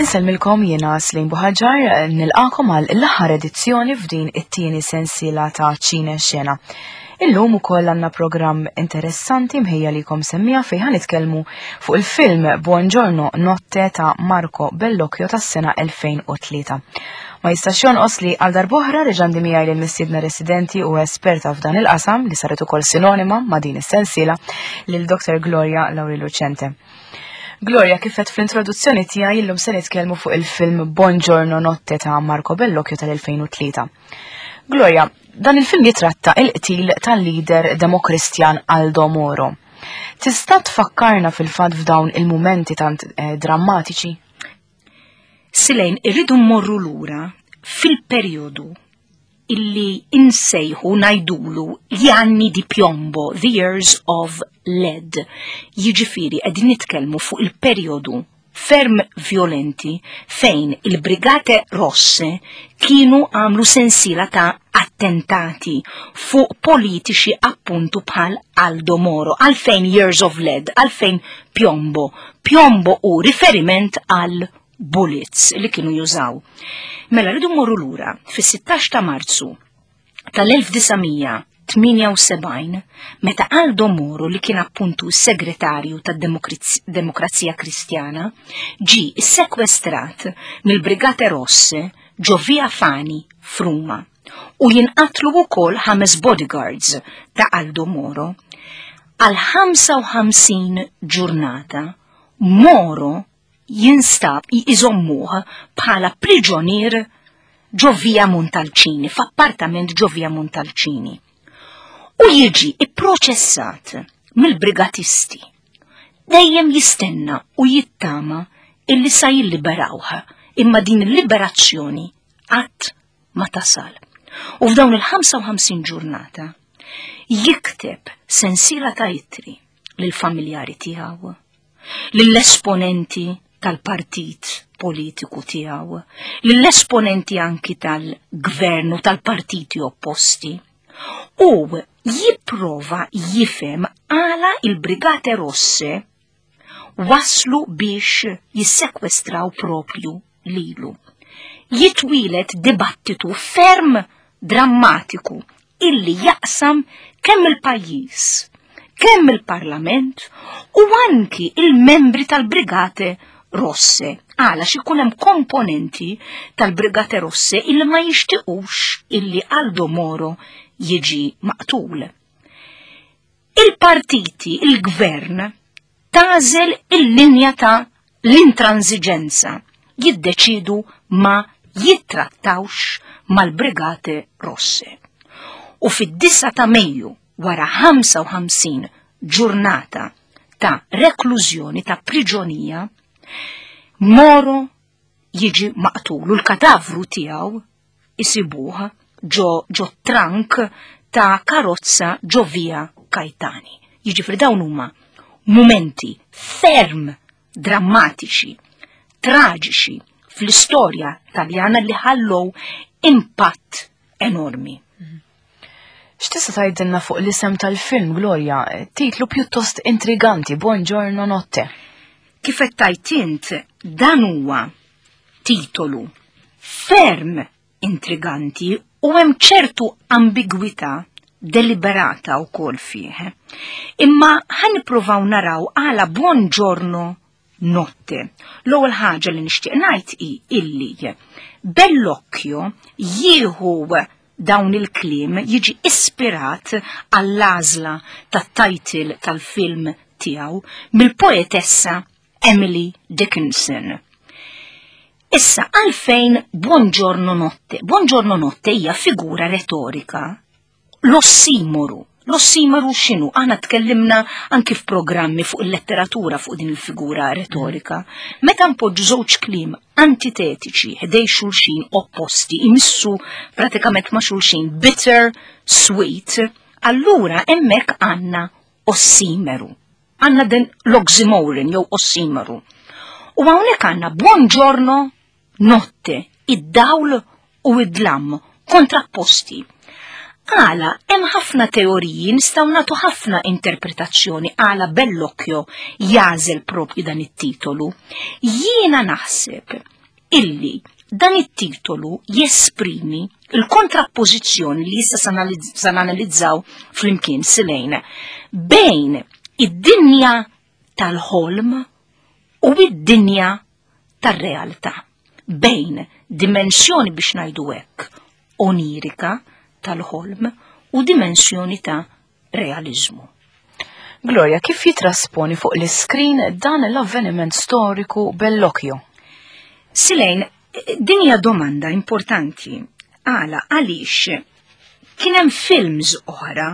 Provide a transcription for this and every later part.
Insellmilkom jiena Slim Buħaġar nilqakom għal l-aħħar edizzjoni f'din it-tieni sensiela ta' Ċine Xena. Illum ukoll għandna programm interessanti mħejja likom semmija fejn ħa nitkellmu fuq il-film Buongiorno Notte ta' Marco Bellocchio tas-sena 2003. Ma jistax jonqos li għal darbohra reġandi miegħi lil mistiedna residenti u esperta f'dan il-qasam li saret ukoll sinonima ma' din is-sensiela lil Dr. Gloria Lauri Lucente. Gloria, kif qed fl-introduzzjoni tiegħi illum se nitkellmu fuq il-film Buongiorno Notte ta' Marco Bellocchio tal-2003. Gloria, dan il-film jitratta il-qtil tal-lider demokristjan Aldo Moro. Tista' tfakkarna fil-fatt f'dawn il-mumenti tant eh, drammatiċi? Silejn, irridu mmorru lura fil-perjodu illi insejħu ngħidulu gli anni di piombo, the years of lead. Jiġifieri qegħdin nitkellmu fuq il-perjodu ferm violenti fejn il-Brigate Rosse kienu għamlu sensiela ta' attentati fuq politiċi appuntu bħal Aldo Moro, għalfejn Years of Lead, għalfejn Piombo. Piombo u riferiment għal bullets li kienu jużaw. Mela rridu mmorru lura fis-16 ta' Marzu tal-1978 meta Aldo Moro li kien appuntu s-segretarju tad-Demokrazija Kristjana ġi sekwestrat mill-Brigate Rosse ġo Via Fani f'Ruma u jinqatlu wkoll ħames bodyguards ta' Aldo Moro. Għal 55 ġurnata Moro jinstab iżommuh bħala priġunier ġo Via Montalcini, f'appartament ġo Via Montalcini. U jiġi ipproċessat mill-brigatisti. Dejjem jistenna u jittama illi sa jilliberawh, imma din il-liberazzjoni qatt ma tasal. U f'dawn il-55 ġurnata jikteb sensiela ta' ittri lill-familjari tiegħu, lill-esponenti tal-partit politiku tiegħu, lill-esponenti anki tal-gvern u tal-partiti opposti. U jipprova jifhem għala il-Brigate Rosse waslu biex jissekwestraw propju lilu. Jitwieled dibattitu ferm drammatiku illi jaqsam kemm il-pajjiż, kemm il-Parlament u anki il-membri tal-Brigate Rosse. Għala x'ikun hemm komponenti tal-Brigate Rosse illi ma jixtiqux illi Aldo Moro jiġi maqtul. Il-partiti, il-gvern, tagħżel il-linja ta' l-intransiġenza, jiddeċidu ma jittrattawx mal-Brigate Rosse. U fid-9 ta' Mejju wara 55 ġurnata ta' reklużjoni ta' priġonija, Moro jiġi maqtul u l-katavru tiegħu isibuh ġo ġo trank ta' karozza ġo via Kajtani. Jiġifieri dawn huma mumenti ferm drammatiċi, traġiċi fl-istorja Taljana li ħallow impatt enormi. X'tista' tgħidilna fuq l-isem tal-film Gloria? Titlu pjuttost intriganti, Buongiorno Notte. Kif qed tgħid int, dan huwa titolu ferm intriganti u hemm ċertu ambigwità deliberata wkoll fih. Imma ħa nippruvaw naraw għala Buongiorno Notte. L-ewwel ħaġa li nixtieq ngħid hi illi Bellocchio jieħu dawn il-kliem jiġi ispirat għall-għażla tat-title tal-film tiegħu mill-poetessa Emily Dickinson. Issa għalfejn Buongiorno Notte? Buongiorno Notte hija figura retorika l-ossimoru. L-ossimoru x'inhu? Aħna tkellimna anki f'programmi fuq il-letteratura fuq din il-figura retorika. Meta npoġġu żewġ kliem antitetiċi ħdej xulxin opposti, imissu pratikament ma' xulxin bitter, sweet, allura hemmhekk għandna ossimeru. Għandna din l-oxymoron jew ossimeru. U hawnhekk għandna buongiorno notte, id-dawl u id-dlam kontrapposti. Għala hemm ħafna teoriji nistgħu nagħtu ħafna interpretazzjoni għala Bellocchio jagħżel propju dan it-titolu. Jiena naħseb illi dan it-titolu jesprimi il-kontrappożizzjoni li issa sa nanalizzaw flimkien silejn bejn id-dinja tal-ħolm u id-dinja tar-realtà bejn dimensjoni biex ngħidu hekk onirika tal-ħolm u dimensjoni ta' realiżmu. Gloria, kif jitrasponi fuq l-iskrin dan l-avveniment storiku Bellocchio? Silejn, din hija domanda importanti. Għala, għaliex kien hemm films oħra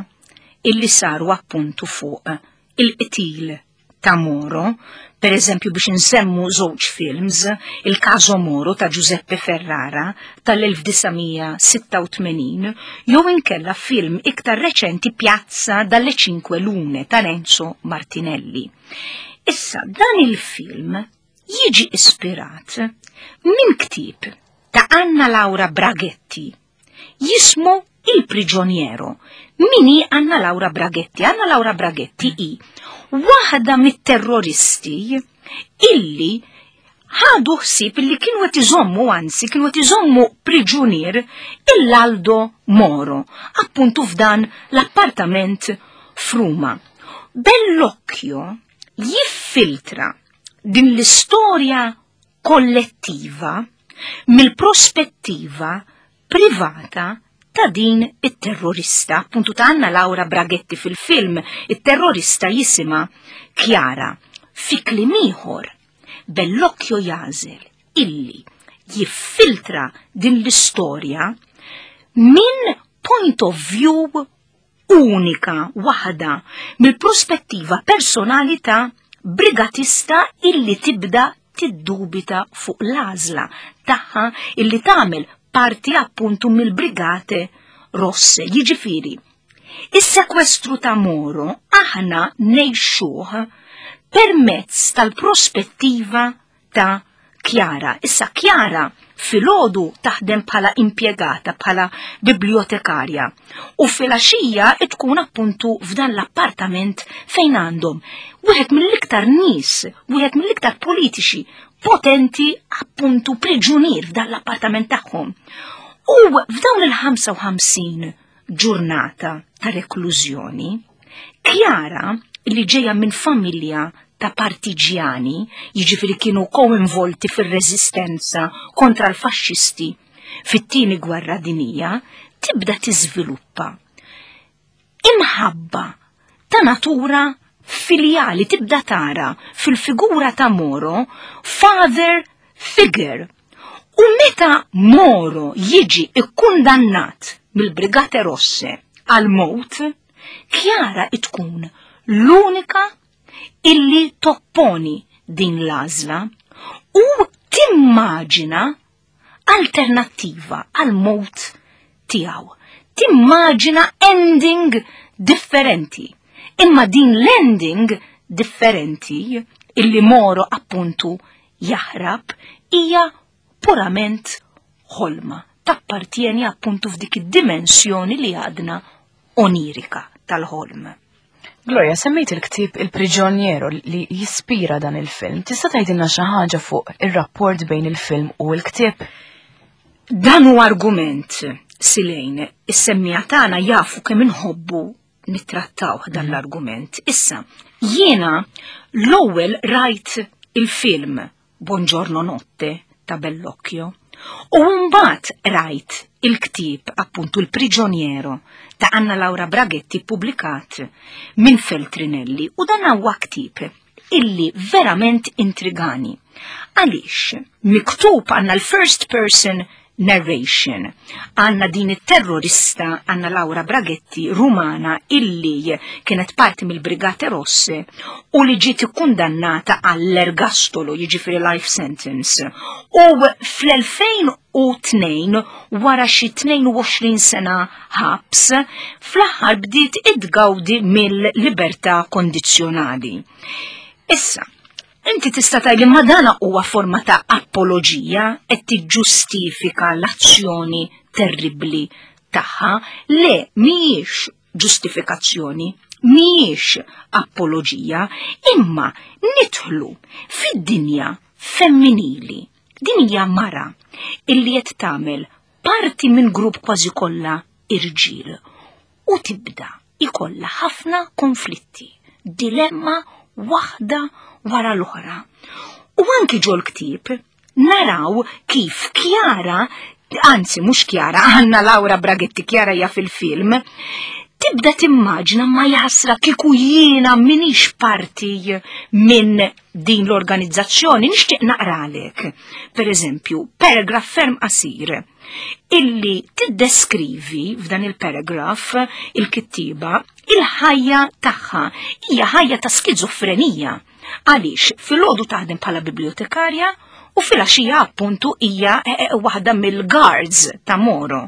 illi saru appuntu fuq il-qtil ta' Moro, per eżempju biex nsemmu żewġ films, il-Caso Moro ta' Giuseppe Ferrara tal-1986, jew inkella film iktar reċenti Piazza dalle Cinque Lune ta' Renzo Martinelli. Issa, dan il-film jiġi ispirat minn ktieb ta' Anna Laura Braghetti jismu Il Prigioniero. Min hi Anna Laura Braghetti? Anna Laura Braghetti hi waħda mit-terroristi illi ħadu ħsieb illi kienu qed iżommu anzi kienu qed iżommu priġunier il-Aldo Moro, appuntu f'dan l-appartament f'Ruma. Bellocchio jiffiltra din l-istorja kollettiva mill-prospettiva privata ta' din it-terrorista, appuntu ta' Anna Laura Braghetti fil-film, it-terrorista jisima Chiara. Fi kliem ieħor, Bellocchio jagħżel illi jiffiltra din l-istorja minn point of view unika waħda mill-prospettiva personali ta' brigatista illi tibda tiddubita fuq l-għażla tagħha illi tagħmel parti appuntu mill-Brigate Rosse. Jiġifieri, is-sekwestru ta' Moro aħna ngħixuh permezz tal-prospettiva ta' Chiara. Issa Chiara filgħodu taħdem bħala impjegata, bħala bibliotekarja u filgħaxija tkun appuntu f'dan l-appartament fejn għandhom wieħed mill-iktar nies, wieħed mill-iktar politiċi potenti appuntu priġunier f'dan l-appartament tagħhom. U f'dawn il-55 ġurnata ta' reklużjoni, Chiara, li ġejja minn familja ta' partiġjani, jiġifieri kienu koinvolti fir-reżistenza kontra l-faxxisti fit-tieni gwerra dinija, tibda tiżviluppa imħabba ta' natura filjali, tibda tara fil-figura ta' Moro father figure. U meta Moro jiġi ikkundannat mill-Brigate Rosse għal mowt, Chiara tkun l-unika illi topponi din l-għażla u timmaġina alternattiva għal mowt tiegħu. Timmaġina ending differenti. Imma din l-ending differenti illi Moro appuntu jaħrab hija purament ħolma, tappartjeni appuntu f'dik id-dimensjoni li għadna onirika tal-ħolm. Gloria, semmejt il-ktieb Il-Prigioniero li jispira dan il-film. Tista' tgħidilna xi ħaġa fuq ir-rapport bejn il-film u l-ktieb? Dan hu argument, Silejn, is-semmiegħa tagħna jafu kemm inħobbu nittrattawh dan mhm. l-argument. Issa, jiena l-ewwel rajt il-film Buongiorno Notte ta' Bellocchio u mbagħad rajt il-ktieb appuntu Il-Prigioniero ta' Anna Laura Braghetti ppubblikat minn Feltrinelli u dan huwa ktieb illi verament intrigani. Għaliex miktub għandna l-first person narration. Għandna din it-terrorista Anna Laura Braghetti Rumana illi kienet parti mill-Brigate Rosse u li ġiet ikkundannata għall-ergastolo, jiġifieri life sentence. U fl-2002 wara xi 22 sena ħabs, fl-aħħar bdiet idgawdi mill-libertà kondizzjonali. Issa, Inti tista' tgħidli ma dana huwa forma ta' apoloġija qed tiġġustifika l-azzjoni terribbli tagħha. Le, mhijiex ġustifikazzjoni, mhijiex apoloġija, imma nidħlu fid-dinja femminili. Din hija mara illi qed tagħmel parti minn grupp kważi kollha irġiel u tibda ikollha ħafna konflitti, dilemma waħda wara l-oħra. U anki ġol-ktieb naraw kif Kjara, anzi mhux Kjara, Anna Laura Braghetti Kjara hija fil-film, tibda timmaġna ma jasra kieku jiena minix parti minn din l-organizzazzjoni nixtieq naqralek. Per eżempju, paragraf ferm qasir illi tiddeskrivi f'dan il-paragraf il-kittiba il-ħajja tagħha hija ħajja ta' skizofrenija. Għaliex filgħodu taħdem bħala bibliotekarja u filgħaxija appuntu hija eh, eh, waħda mill-guards ta' Moro.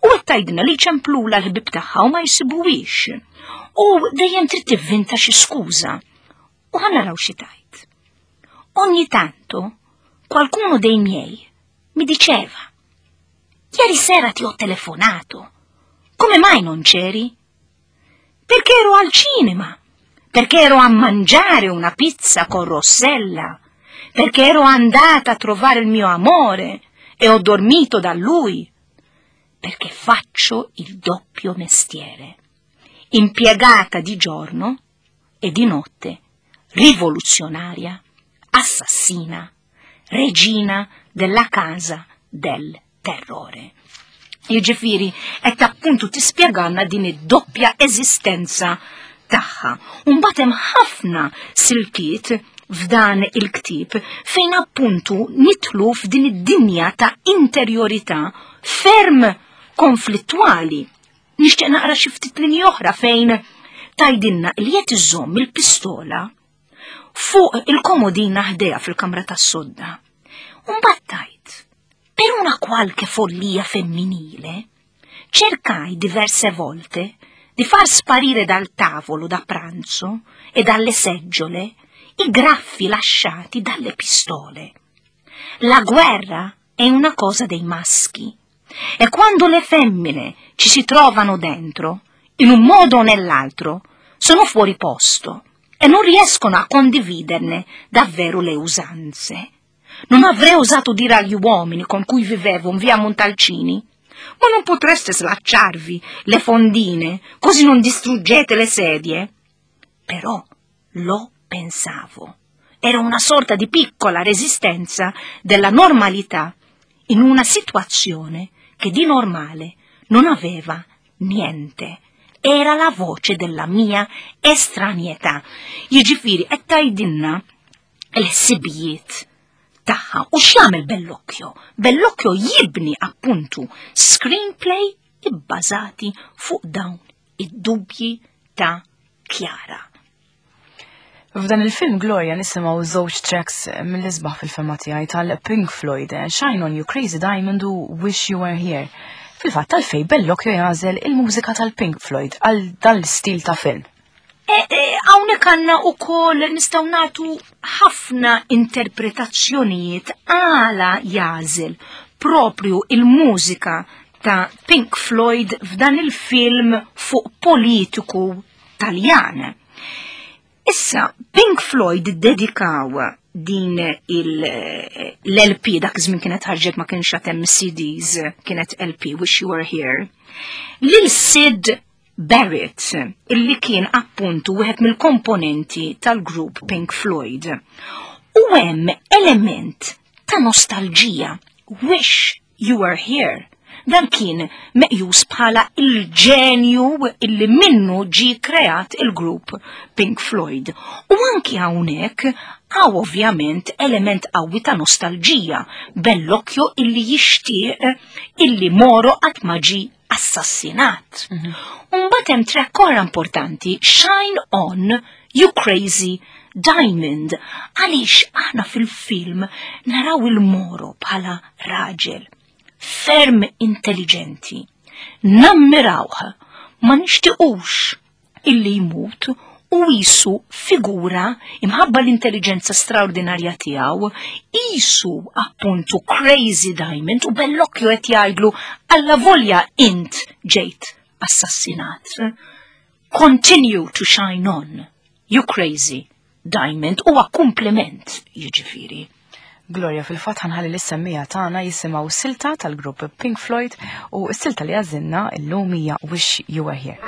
U qed tgħidilna li ċemplula l-ħbib tagħha u ma jsibuhiex. U dejjem trid tivvinta xi skuża. U ħa naraw xi tgħid. Ogni tanto qualcuno dei miei mi diceva Ieri sera ti ho telefonato. Come mai non c'eri? Perché ero al cinema, perché ero a mangiare una pizza con Rossella, perché ero andata a trovare il mio amore e ho dormito da lui, perché faccio il doppio mestiere. Impiegata di giorno e di notte, rivoluzionaria, assassina, regina della casa del terrore. Jiġifieri qed appuntu tispjegalna din id-doppja eżistenza tagħha. U mbagħad hemm ħafna siltiet f'dan il-ktieb fejn appuntu nitlu f'din id-dinja ta' interjorità ferm konflittwali. Nixtieq naqra xi ftit linji oħra fejn tgħidilna li qed iżomm il-pistola fuq il-komodina ħdejha fil-kamra tas-sodda. U mbagħad tgħid, per una qualche follia femminile, cercai diverse volte di far sparire dal tavolo da pranzo e dalle seggiole i graffi lasciati dalle pistole. La guerra è una cosa dei maschi e quando le femmine ci si trovano dentro, in un modo o nell'altro, sono fuori posto e non riescono a condividerne davvero le usanze. Non avrei osato dire agli uomini con cui vivevo in via Montalcini, ma non potreste slacciarvi le fondine, così non distruggete le sedie? Però lo pensavo. Era una sorta di piccola resistenza della normalità in una situazione che di normale non aveva niente. Era la voce della mia estranietà. Jiġifieri qed tgħidilna l-ħsibijiet tagħha u x'jagħmel Bellocchio? Bellocchio jibni appuntu screenplay ibbażati fuq dawn id-dubji ta' Chiara. F'dan il-film Gloria nisimgħu żewġ tracks mill-isbaħ fil-fema tiegħi tal-Pink Floyd, Shine On You Crazy Diamond u Wish You Were Here. Fil-fatt għalfejn Bellocchio jagħżel il-mużika tal-Pink Floyd għal dan l-istil ta' film. E, e, hawnhekk għandna wkoll nistgħu nagħtu ħafna interpretazzjonijiet għala jagħżel propju il-mużika ta' Pink Floyd f'dan il-film fuq politiku Taljan. Issa, Pink Floyd dedikaw din l-LP, dak iż-żmien kienet ħarġet ma kienx hemm CDs, kienet LP, Wish You Were Here, lil Sid Barrett, illi kien appuntu wieħed mill-komponenti tal-grupp Pink Floyd. U hemm element ta' nostalġija, Wish You Were Here. Dan kien meqjus bħala il-ġenju illi minnu ġi kreat il-grupp Pink Floyd. U anki hawnhekk hawn ovvjament element qawwi ta' nostalġija, Bellocchio illi jixtieq illi Moro qatt ma ġi assassinat. Mhm. Umbagħad hemm track oħra importanti, Shine On You Crazy Diamond, għaliex aħna fil-film naraw il-Moro bħala raġel ferm intelligenti. Nammirawh, ma nixtiqux illi jmut u jisu figura imħabba l-intelligenza straordinarja tiegħu, jisu appuntu crazy diamond u Bellocchio qed jgħidlu alla volja int ġejt assassinat. Continue to shine on, you crazy diamond huwa kumpliment jiġifieri. Gloria, fil-fatt ħanħalli lis-semmija tagħna jisimgħu silta tal-grupp Pink Floyd u s-silta li għażilna llum hija Wish You Were Here.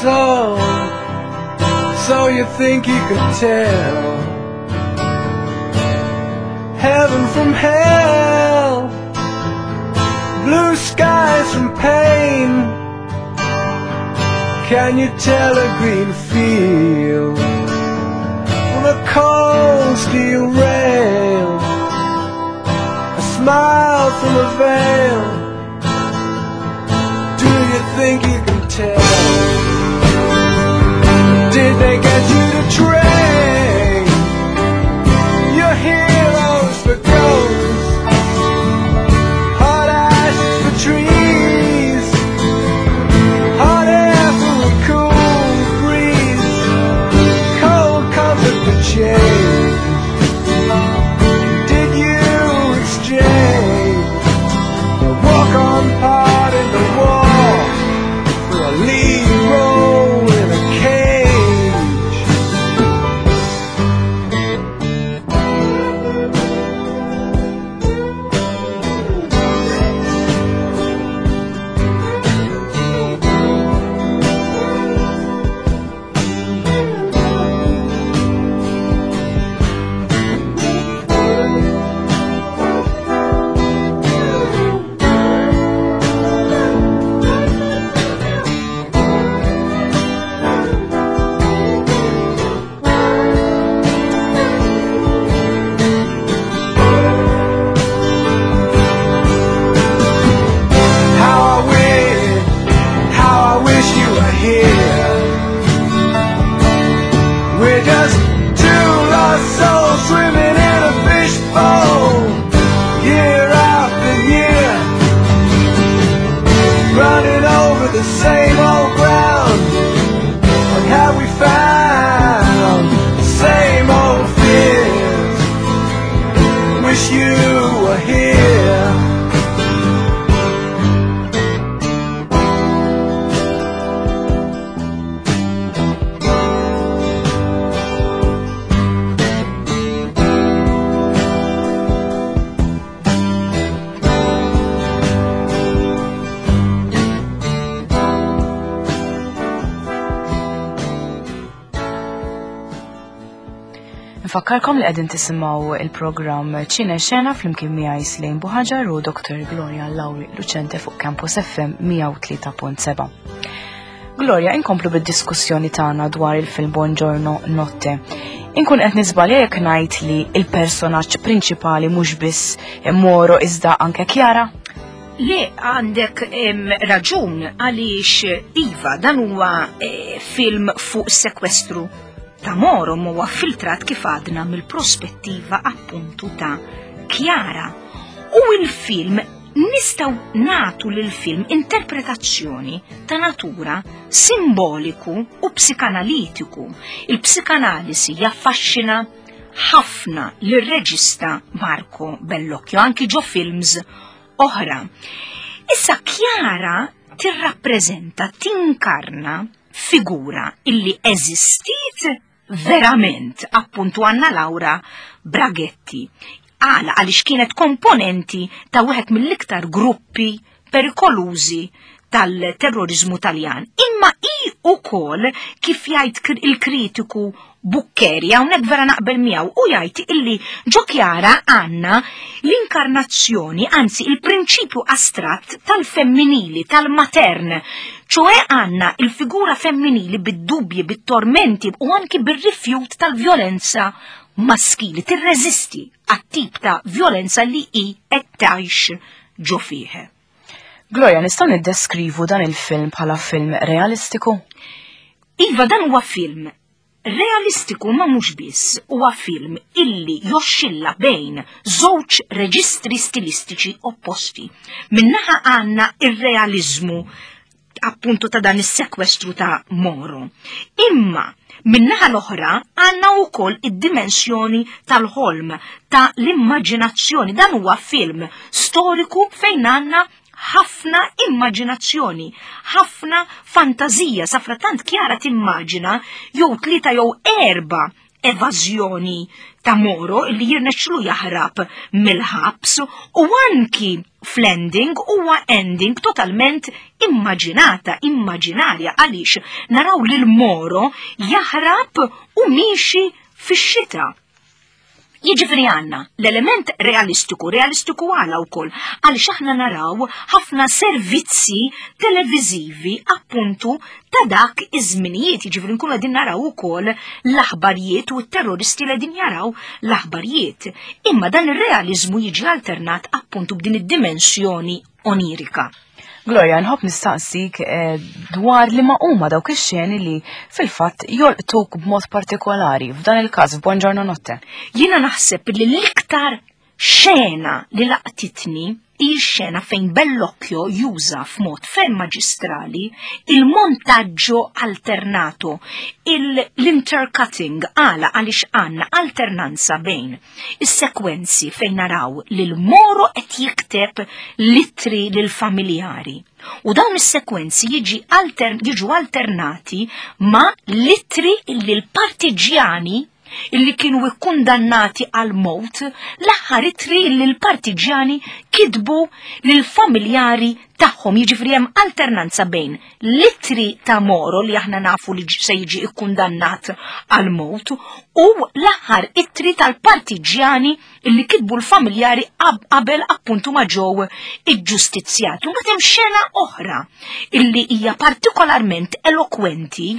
So, so you think you could tell heaven from hell, blue skies from pain? Can you tell a green field from a cold steel rail? A smile from a veil. Do you think you can tell? Did they get you to train your heroes for ghosts, hot ash for trees, hot air for a cool breeze, cold comfort for change? Did you exchange the walk-on part in the war for a lead role in a cage? How I wish, how I wish you were here. We're just two lost souls swimming in a fishbowl, year after year, running over the same old ground. What have we found? The same old fears. Wish you were here. Nfakkarkom li qegħdin tisimgħu il-programm Ċine Xena flimkien miegħi Slejn Buħaġar u Dr. Gloria Lauri Lucente fuq Campus FM 103.7. Gloria, inkomplu bid-diskussjoni tagħna dwar il-film Buongiorno Notte. Inkun qed niżbalja jekk ngħid li il-personaġġ prinċipali mhux biss Moro iżda anke Chiara? Le, għandek raġun għaliex iva dan huwa eh, film fuq sekwestru ta' Moro huwa filtrat kif għadna mill-prospettiva appuntu ta' Chiara. U il-film nistgħu nagħtu lil film interpretazzjoni ta' natura simboliku u psikanalitiku. Il-psikanalisi jaffaxxina ħafna lir-reġista Marco Bellocchio, anki ġo films oħra. Issa Chiara tirrappreżenta, tinkarna figura illi eżistiet verament appuntu Anna Laura Braghetti. Għala għaliex kienet komponenti ta' wieħed mill-iktar gruppi perikolużi tal-terrorizmu Taljan. Imma hi ukoll kif jgħid il-kritiku Buccheri, hawnhekk vera naqbel miegħu, u jgħid illi ġo Chiara għandna l-inkarnazzjoni, anzi il-prinċipju astratt tal-femminili, tal-matern, ċoe għandna il-figura femminili bid-dubji, bit-tormenti u anki bir-rifjut tal-vjolenza maskili, tirreżisti għat-tip ta' vjolenza li hi qed tgħix ġo fih. Gloria, nistgħu niddeskrivu dan il-film bħala film realistiku? Iva, dan huwa film realistiku ma mhux biss, huwa film illi joxxilla bejn żewġ reġistri stilistiċi opposti. Minnaħa għandna ir-realiżmu appuntu ta' dan is-sekwestru ta' Moro. Imma minnaħa l-oħra għandna wkoll id-dimensjoni tal-ħolm, ta' l-immaġinazzjoni. Dan huwa film storiku fejn għandna ħafna immaġinazzjoni, ħafna fantażija, safratant Chiara timmaġina jew 3 jew 4 evażjoni ta' Moro li jirnexxlu jaħrab mill-ħabs, u anki fl-ending huwa ending totalment immaġinata, immaġinarja, għaliex naraw lil Moro jaħrab u miexi fix-xita. Jiġifieri għandna l-element realistiku, realistiku għala wkoll, għaliex aħna naraw ħafna servizzi televiżivi appuntu ta' dak iż-żminijiet, jiġifieri nkunu qegħdin naraw ukoll l-aħbarijiet u t-terroristi li qegħdin jaraw l-aħbarijiet. Imma dan ir-realiżmu jiġi alternat appuntu b'din id-dimensjoni onirika. Gloria, nħobb nistaqsik dwar li ma huma dawk ix-xeni li fil-fatt jolqtuk b'mod partikolari f'dan il-każ f'Buongiorno Notte. Jiena naħseb li l-iktar xena li laqtitni hi x-xena fejn Bellocchio juża f'mod ferm maġistrali il-montaggio alternato, l-intercutting, għala għaliex għandna alternanza bejn Is-sekwenzi fejn naraw lil Moro qed jikteb littri lil familjari. U dawn is-sekwenzi jiġi alter, jiġu alternati ma' littri illi l-partiġjani illi kienu ikkundannati għal mowt, l-aħħar ittri illi l-partiġjani kitbu lil familjari tagħhom. Jiġifieri hemm alternanza bejn l-ittri ta' Moro li aħna nafu li se jiġi ikkundannat għal mowt u l-aħħar ittri tal-partiġjani li kitbu l-familjari qabel appuntu ma ġew iġġustizzjati. U mbagħad hemm xena oħra illi hija partikolarment elokwenti,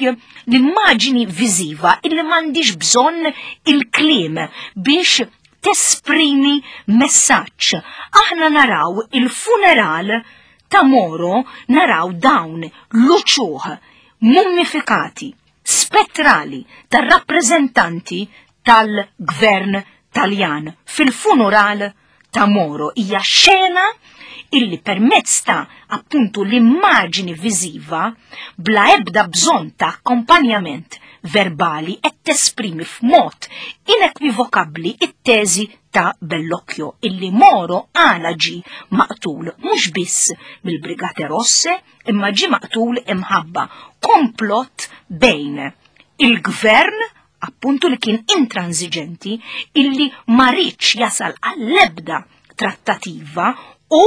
l-immaġini viżiva illi m'għandix bżonn il-kliem biex tesprimi messaġġ. Aħna naraw il-funeral ta' Moro, naraw dawn l-uċuħ mummifikati, spettrali tar-rappreżentanti tal-gvern Taljan fil-funeral ta' Moro. Hija xena illi permezz ta' appuntu l-immaġini viżiva bla ebda bżonn ta' akkompanjament verbali qed tesprimi f'mod inekwivokabbli it-teżi ta' Bellocchio illi Moro għala ġie maqtul mhux biss mill-Brigate Rosse imma ġie maqtul imħabba komplott bejn il-gvern appuntu li kien intransiġenti illi ma riedx jasal għall-ebda trattativa u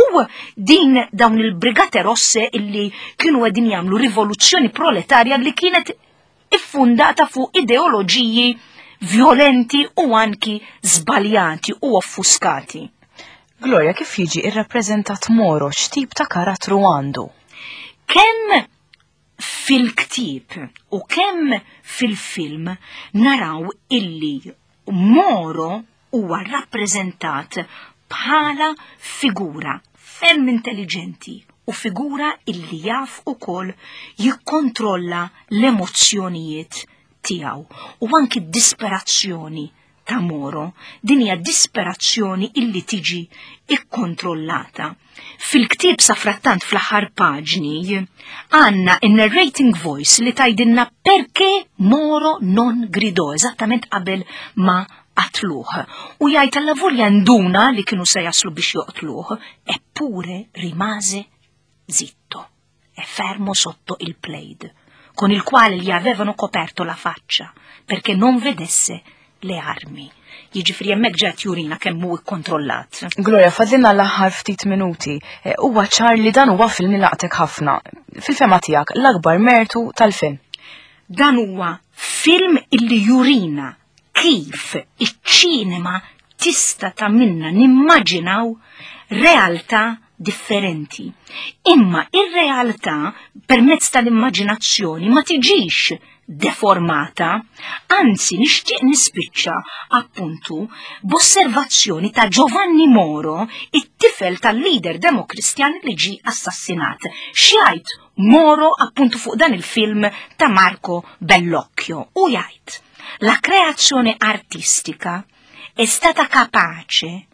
din dawn il-Brigate Rosse illi kienu qegħdin jagħmlu rivoluzzjoni proletarja li kienet iffundata fuq ideoloġiji violenti u anki żbaljati u offuskati. Gloria, kif jiġi irrappreżentat Moro, x'tip ta' karattru għandu? Kemm fil-ktieb u kemm fil-film naraw illi Moro huwa rappreżentat bħala figura ferm intelligenti u figura illi jaf ukoll jikkontrolla l-emozzjonijiet tiegħu u anki d-disperazzjoni ta' Moro, din hija disperazzjoni illi tiġi ikkontrollata. Fil-ktieb safrattant fl-aħħar paġni għandna in-narrating voice li tgħidilna perché Moro non gridò eżattament qabel ma qatluh. U jgħid alla volja nduna li kienu se jaslu biex joqtluh, eppure rimase zitto e fermo sotto il plaid. con il quale gli avevano coperto la faccia perché non vedesse le armi. Jiġifieri hemmhekk ġed jurina kemm hu kkontrollat. Gloria, fadlilna l-aħħar ftit minuti. Eh, huwa ċar li dan huwa film li laqtek ħafna. Fil-fema tiegħek, l-akbar mertu tal-film. Dan huwa film illi jurina kif iċ-ċinema tista' tagħmilna nimmaġinaw realtà differenti. Imma ir-realtà permezz tal-immaġinazzjoni ma tiġix deformata, anzi nixtieq nispiċċa appuntu b'osservazzjoni ta' Giovanni Moro, it-tifel tal-leader demokristjan li ġi assassinat. X'jgħid Moro appuntu fuq dan il-film ta' Marco Bellocchio u jgħid la creazione artistica è stata capace,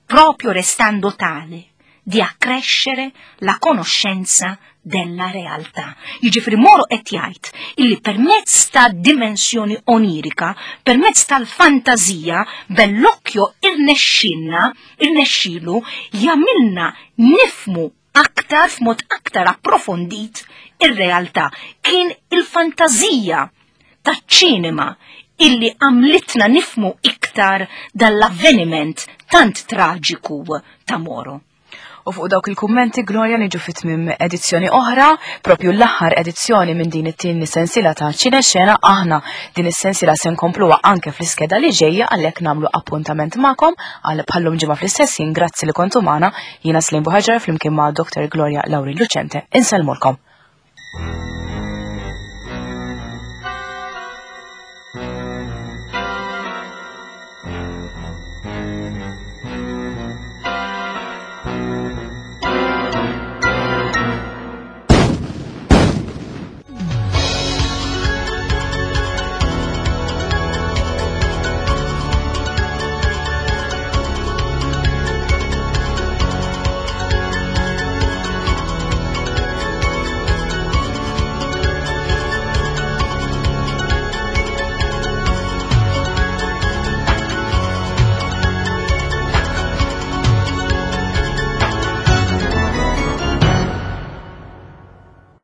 proprio restando tale, di accrescere la conoscenza della realtà. Jiġifieri Moro qed jgħid illi permezz ta' dimensjoni onirika, permezz tal-fantażija, Bellocchio irnexxilna, irnexxilu jagħmilna nifmu aktar f'mod aktar approfondit ir-realtà. Kien il-fantażija taċ-ċinema illi għamlitna nifmu iktar dal-avveniment tant traġiku ta' Moro. U fuq dawk il-kummenti Gloria niġu fit tmiem edizzjoni oħra, propju l-aħħar edizzjoni minn din it-tieni sensiela ta' Ċine Xena aħna din is-sensiela se nkompluha anke fl-iskeda li ġejja għalhekk nagħmlu appuntament magħkom għal bħallum ġimgħa fl-istess jien grazzi li kontu magħna jiena Slim Buħaġar flimkien ma' Dr. Gloria Lauri Lucente. Insellmulkom.